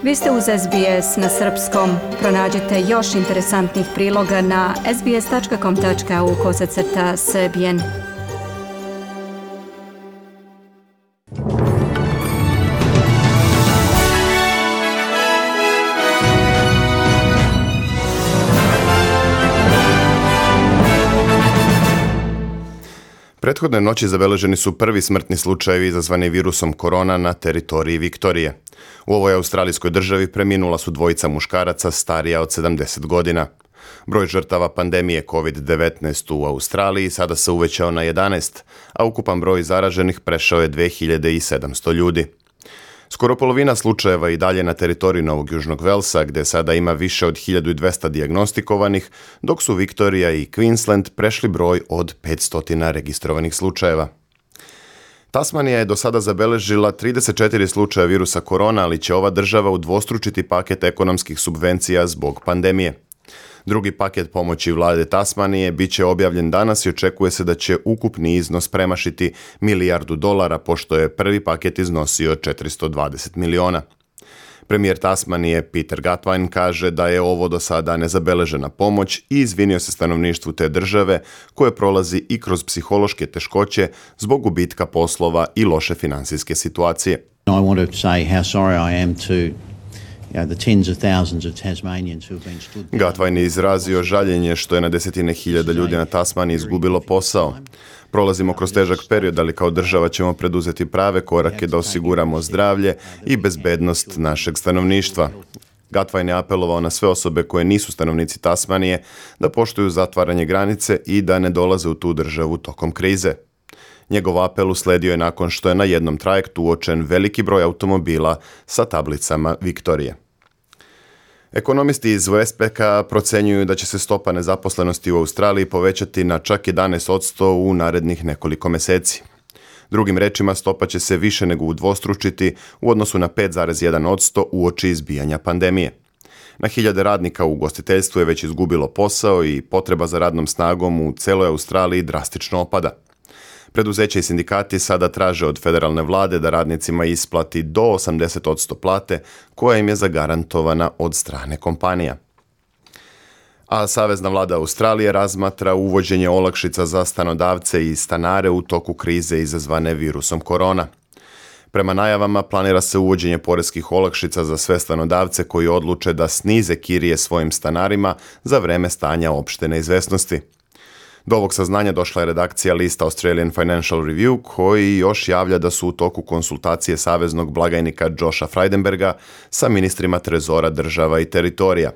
Vi ste uz SBS na srpskom. Pronađite još interesantnih priloga na sbs.com.au/srbijen. Prethodne noći zabeleženi su prvi smrtni slučajevi izazvani virusom korona na teritoriji Viktorije. U ovoj australijskoj državi preminula su dvojica muškaraca starija od 70 godina. Broj žrtava pandemije COVID-19 u Australiji sada se uvećao na 11, a ukupan broj zaraženih prešao je 2700 ljudi. Skoro polovina slučajeva i dalje na teritoriji Novog Južnog Velsa, gdje sada ima više od 1200 dijagnostikovanih, dok su Viktorija i Queensland prešli broj od 500 registrovanih slučajeva. Tasmanija je do sada zabeležila 34 slučaja virusa korona, ali će ova država udvostručiti paket ekonomskih subvencija zbog pandemije. Drugi paket pomoći vlade Tasmanije bit će objavljen danas i očekuje se da će ukupni iznos premašiti $1 milijardu, pošto je prvi paket iznosio 420 miliona. Premijer Tasmanije Peter Gutwein kaže da je ovo do sada nezabeležena pomoć i izvinio se stanovništvu te države koje prolazi i kroz psihološke teškoće zbog gubitka poslova i loše financijske situacije. I want to say how sorry I am to Gutwein je izrazio žaljenje što je na desetine hiljada ljudi na Tasmaniji izgubilo posao. Prolazimo kroz težak period, ali kao država ćemo preduzeti prave korake da osiguramo zdravlje i bezbednost našeg stanovništva. Gutwein je apelovao na sve osobe koje nisu stanovnici Tasmanije da poštuju zatvaranje granice i da ne dolaze u tu državu tokom krize. Njegov apel usledio je nakon što je na jednom trajektu uočen veliki broj automobila sa tablicama Viktorije. Ekonomisti iz Westpacka procenjuju da će se stopa nezaposlenosti u Australiji povećati na čak 11% u narednih nekoliko meseci. Drugim rečima, stopa će se više nego udvostručiti u odnosu na 5,1% uoči izbijanja pandemije. Na hiljade radnika u ugostiteljstvu je već izgubilo posao i potreba za radnom snagom u celoj Australiji drastično opada. Preduzeća i sindikati sada traže od federalne vlade da radnicima isplati do 80% plate koja im je zagarantovana od strane kompanija. A savezna vlada Australije razmatra uvođenje olakšica za stanodavce i stanare u toku krize izazvane virusom korona. Prema najavama planira se uvođenje poreskih olakšica za sve stanodavce koji odluče da snize kirije svojim stanarima za vreme stanja opšte neizvesnosti. Do ovog saznanja došla je redakcija lista Australian Financial Review, koji još javlja da su u toku konsultacije saveznog blagajnika Josha Frydenberga sa ministrima trezora država i teritorija.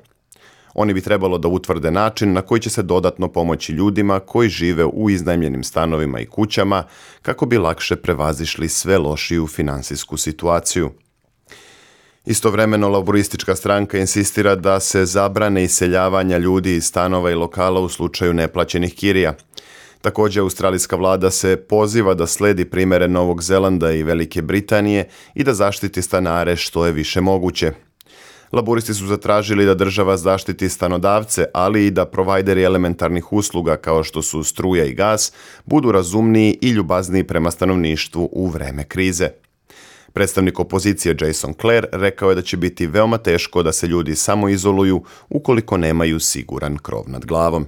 Oni bi trebalo da utvrde način na koji će se dodatno pomoći ljudima koji žive u iznajmljenim stanovima i kućama kako bi lakše prevazišli sve lošiju finansijsku situaciju. Istovremeno, laboristička stranka insistira da se zabrane iseljavanja ljudi iz stanova i lokala u slučaju neplaćenih kirija. Također, australijska vlada se poziva da sledi primere Novog Zelanda i Velike Britanije i da zaštiti stanare što je više moguće. Laboristi su zatražili da država zaštiti stanodavce, ali i da provajderi elementarnih usluga kao što su struja i gas budu razumniji i ljubazniji prema stanovništvu u vreme krize. Predstavnik opozicije Jason Clare rekao je da će biti veoma teško da se ljudi samoizoluju ukoliko nemaju siguran krov nad glavom.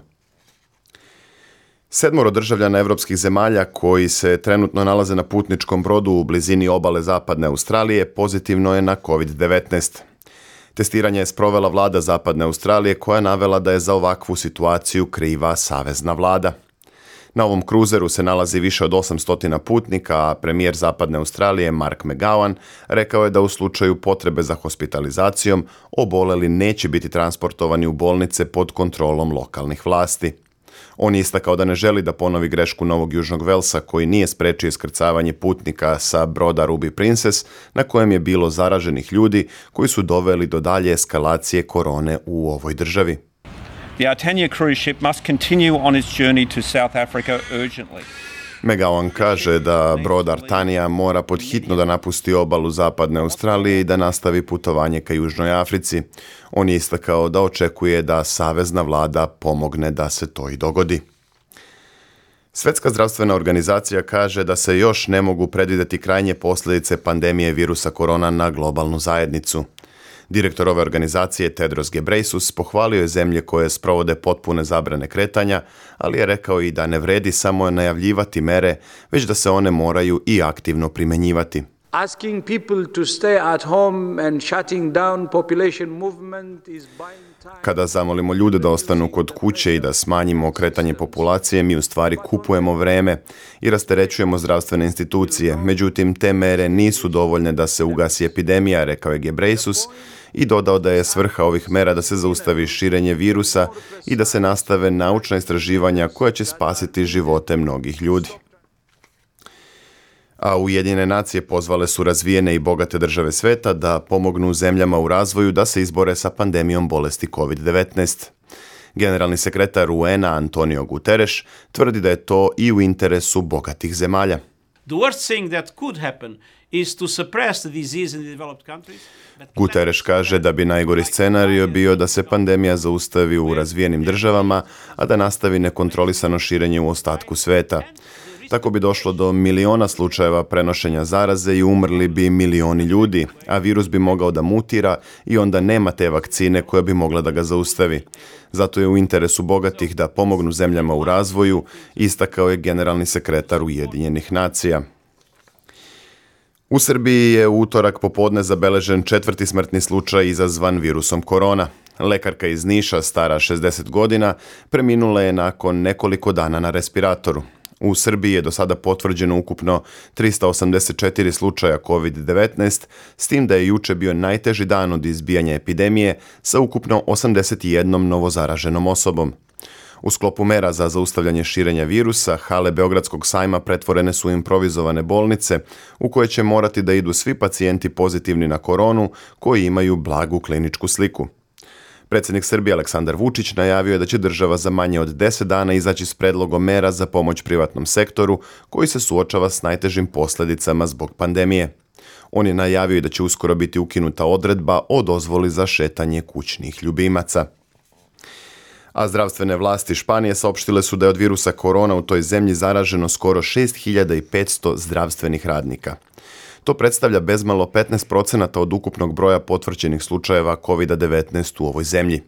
7 državljana evropskih zemalja koji se trenutno nalaze na putničkom brodu u blizini obale zapadne Australije pozitivno je na COVID-19. Testiranje je sprovela vlada zapadne Australije koja je navela da je za ovakvu situaciju kriva savezna vlada. Na ovom kruzeru se nalazi više od 800 putnika, a premijer zapadne Australije Mark McGowan rekao je da u slučaju potrebe za hospitalizacijom oboleli neće biti transportovani u bolnice pod kontrolom lokalnih vlasti. On je istakao da ne želi da ponovi grešku Novog Južnog Velsa koji nije sprečio iskrcavanje putnika sa broda Ruby Princess na kojem je bilo zaraženih ljudi koji su doveli do dalje eskalacije korone u ovoj državi. The Artania cruise ship must continue on its journey to South Africa urgently. McGowan kaže da brod Artania mora podhitno da napusti obalu zapadne Australije i da nastavi putovanje ka Južnoj Africi. On je istakao da očekuje da savezna vlada pomogne da se to i dogodi. Svjetska zdravstvena organizacija kaže da se još ne mogu predvidjeti krajnje posljedice pandemije virusa korona na globalnu zajednicu. Direktor ove organizacije Tedros Ghebreyesus pohvalio je zemlje koje sprovode potpune zabrane kretanja, ali je rekao i da ne vredi samo najavljivati mere, već da se one moraju i aktivno primjenjivati. Asking people to stay at home and shutting down population movement is buying time. Kada zamolimo ljude da ostanu kod kuće i da smanjimo kretanje populacije, mi u stvari kupujemo vreme i rasterećujemo zdravstvene institucije. Međutim, te mere nisu dovoljne da se ugasi epidemija, rekao je Ghebreyesus i dodao da je svrha ovih mera da se zaustavi širenje virusa i da se nastave naučna istraživanja koja će spasiti živote mnogih ljudi. A Ujedinjene nacije pozvale su razvijene i bogate države sveta da pomognu zemljama u razvoju da se izbore sa pandemijom bolesti COVID-19. Generalni sekretar UN-a Antonio Guterres tvrdi da je to i u interesu bogatih zemalja. The worst thing that could happen is to suppress the disease in the developed countries. Guterres kaže da bi najgori scenario bio da se pandemija zaustavi u razvijenim državama, a da nastavi nekontrolisano širenje u ostatku sveta. Tako bi došlo do miliona slučajeva prenošenja zaraze i umrli bi milioni ljudi, a virus bi mogao da mutira i onda nema te vakcine koja bi mogla da ga zaustavi. Zato je u interesu bogatih da pomognu zemljama u razvoju, istakao je generalni sekretar Ujedinjenih nacija. U Srbiji je u utorak popodne zabeležen 4. smrtni slučaj izazvan virusom korona. Lekarka iz Niša, stara 60 godina, preminula je nakon nekoliko dana na respiratoru. U Srbiji je do sada potvrđeno ukupno 384 slučaja COVID-19, s tim da je juče bio najteži dan od izbijanja epidemije sa ukupno 81 novozaraženom osobom. U sklopu mera za zaustavljanje širenja virusa, hale Beogradskog sajma pretvorene su improvizovane bolnice u koje će morati da idu svi pacijenti pozitivni na koronu koji imaju blagu kliničku sliku. Predsjednik Srbije Aleksandar Vučić najavio je da će država za manje od 10 dana izaći s predlogom mera za pomoć privatnom sektoru koji se suočava s najtežim posljedicama zbog pandemije. On je najavio i da će uskoro biti ukinuta odredba o dozvoli za šetanje kućnih ljubimaca. A zdravstvene vlasti Španije saopštile su da je od virusa korona u toj zemlji zaraženo skoro 6500 zdravstvenih radnika. To predstavlja bezmalo 15% od ukupnog broja potvrđenih slučajeva COVID-19 u ovoj zemlji.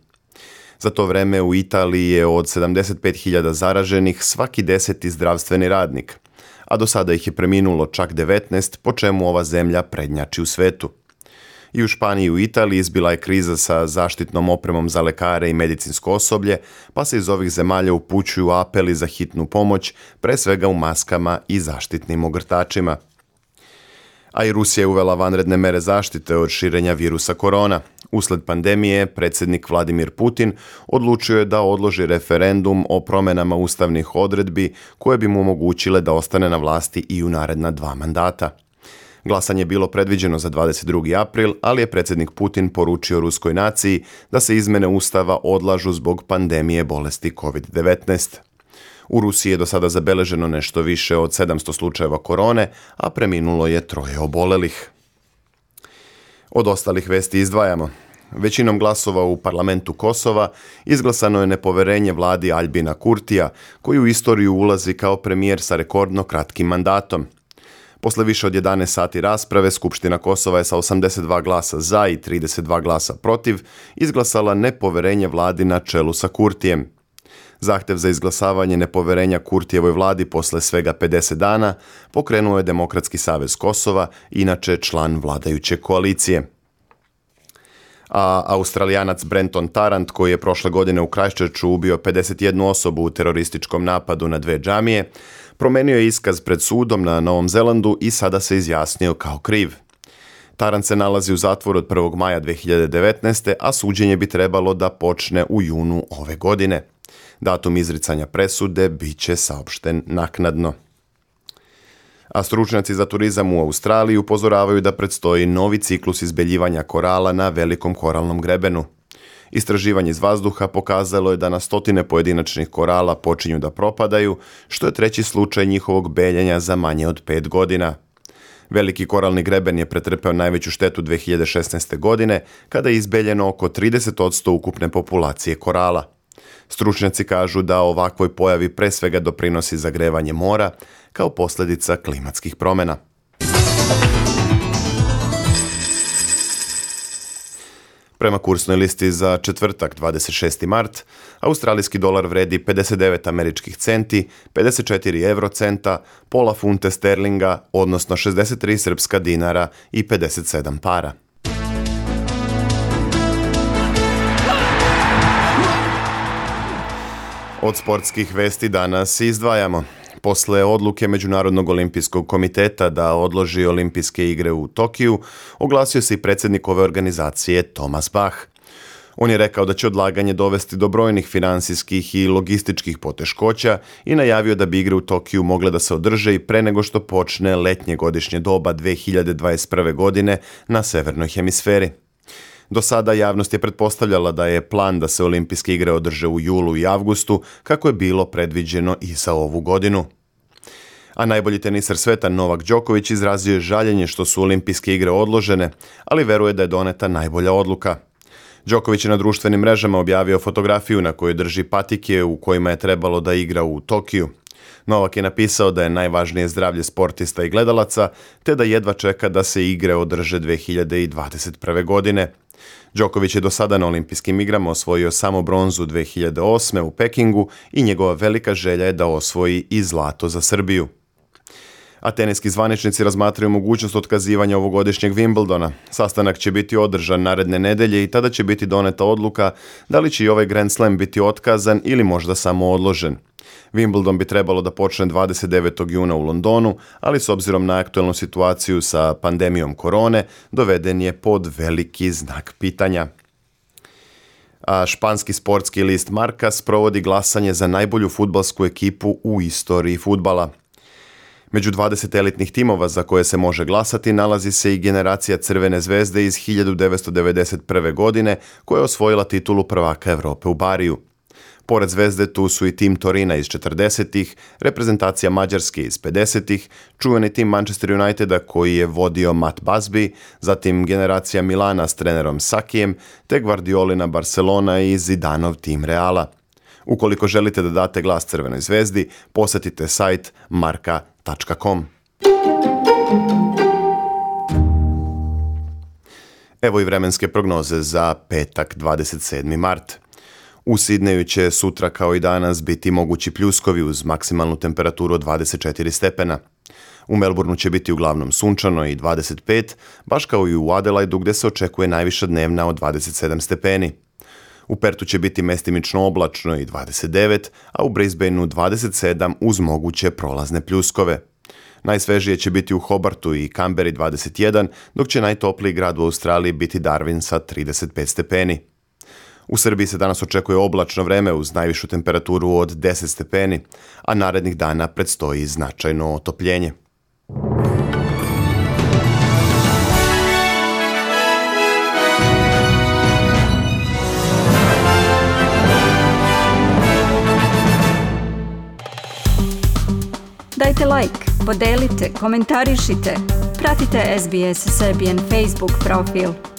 Za to vreme u Italiji je od 75.000 zaraženih svaki 10. zdravstveni radnik, a do sada ih je preminulo čak 19, po čemu ova zemlja prednjači u svetu. I u Španiji i u Italiji izbila je kriza sa zaštitnom opremom za lekare i medicinsko osoblje, pa se iz ovih zemalja upućuju apeli za hitnu pomoć, pre svega u maskama i zaštitnim ogrtačima. A i Rusija je uvela vanredne mere zaštite od širenja virusa korona. Usled pandemije, predsjednik Vladimir Putin odlučio je da odloži referendum o promjenama ustavnih odredbi koje bi mu omogućile da ostane na vlasti i u naredna 2 mandata. Glasanje je bilo predviđeno za 22. april, ali je predsjednik Putin poručio ruskoj naciji da se izmjene ustava odlažu zbog pandemije bolesti COVID-19. U Rusiji je do sada zabeleženo nešto više od 700 slučajeva korone, a preminulo je 3 obolelih. Od ostalih vesti izdvajamo. Većinom glasova u parlamentu Kosova izglasano je nepoverenje vladi Aljbina Kurtija, koji u istoriju ulazi kao premijer sa rekordno kratkim mandatom. Posle više od 11 sati rasprave, Skupština Kosova je sa 82 glasa za i 32 glasa protiv izglasala nepoverenje vladi na čelu sa Kurtijem. Zahtev za izglasavanje nepoverenja Kurtijevoj vladi posle svega 50 dana pokrenuo je Demokratski savez Kosova, inače član vladajuće koalicije. A Australijanac Brenton Tarrant, koji je prošle godine u Christchurchu ubio 51 osobu u terorističkom napadu na 2 džamije, promenio je iskaz pred sudom na Novom Zelandu i sada se izjasnio kao kriv. Tarrant se nalazi u zatvoru od 1. maja 2019. a suđenje bi trebalo da počne u junu ove godine. Datum izricanja presude bit će saopšten naknadno. A stručnjaci za turizam u Australiji upozoravaju da predstoji novi ciklus izbeljivanja korala na velikom koralnom grebenu. Istraživanje iz vazduha pokazalo je da na stotine pojedinačnih korala počinju da propadaju, što je 3. slučaj njihovog beljenja za manje od 5 godina. Veliki koralni greben je pretrpeo najveću štetu 2016. godine, kada je izbeljeno oko 30% ukupne populacije korala. Stručnjaci kažu da ovakvoj pojavi pre svega doprinosi zagrevanje mora kao posljedica klimatskih promjena. Prema kursnoj listi za četvrtak 26. mart, australijski dolar vredi 59 američkih centi, 54 eurocenta, pola funte sterlinga, odnosno 63 srpska dinara i 57 para. Od sportskih vesti danas izdvajamo. Posle odluke Međunarodnog olimpijskog komiteta da odloži olimpijske igre u Tokiju, oglasio se i predsjednik ove organizacije Thomas Bach. On je rekao da će odlaganje dovesti do brojnih finansijskih i logističkih poteškoća i najavio da bi igre u Tokiju mogle da se održe i pre nego što počne letnje godišnje doba 2021. godine na severnoj hemisferi. Do sada javnost je pretpostavljala da je plan da se olimpijske igre održe u julu i avgustu, kako je bilo predviđeno i za ovu godinu. A najbolji teniser sveta Novak Đoković izrazio je žaljenje što su olimpijske igre odložene, ali veruje da je doneta najbolja odluka. Đoković je na društvenim mrežama objavio fotografiju na kojoj drži patike u kojima je trebalo da igra u Tokiju. Novak je napisao da je najvažnije zdravlje sportista i gledalaca, te da jedva čeka da se igre održe 2021. godine. Đoković je do sada na olimpijskim igrama osvojio samo bronzu 2008. u Pekingu i njegova velika želja je da osvoji i zlato za Srbiju. A teniski zvaničnici razmatraju mogućnost otkazivanja ovogodišnjeg Wimbledona. Sastanak će biti održan naredne nedelje i tada će biti doneta odluka da li će i ovaj Grand Slam biti otkazan ili možda samo odložen. Wimbledon bi trebalo da počne 29. juna u Londonu, ali s obzirom na aktuelnu situaciju sa pandemijom korone, doveden je pod veliki znak pitanja. A španski sportski list Marca sprovodi glasanje za najbolju fudbalsku ekipu u istoriji fudbala. Među 20 elitnih timova za koje se može glasati nalazi se i generacija Crvene zvezde iz 1991. godine koja je osvojila titulu prvaka Evrope u Bariju. Pored Zvezde tu su i tim Torina iz 40-ih, reprezentacija Mađarske iz 50-ih, čuveni tim Manchester Uniteda koji je vodio Matt Busby, zatim generacija Milana s trenerom Sakijem, te Guardiolina Barcelona i Zidanov tim Reala. Ukoliko želite da date glas Crvenoj zvezdi, posjetite sajt marca.com. Evo i vremenske prognoze za petak 27. mart. U Sidneju će sutra kao i danas biti mogući pljuskovi uz maksimalnu temperaturu od 24 stepena. U Melbourneu će biti uglavnom sunčano i 25, baš kao i u Adelaidu gdje se očekuje najviša dnevna od 27 stepeni. U Pertu će biti mestimično oblačno i 29, a u Brisbaneu 27 uz moguće prolazne pljuskove. Najsvežije će biti u Hobartu i Canberri 21, dok će najtopliji grad u Australiji biti Darwin sa 35 stepeni. U Srbiji se danas očekuje oblačno vreme uz najvišu temperaturu od 10 stepeni, a narednih dana predstoji značajno otopljenje. Dajte like, podelite, komentarišite, pratite SBS Serbian Facebook profil.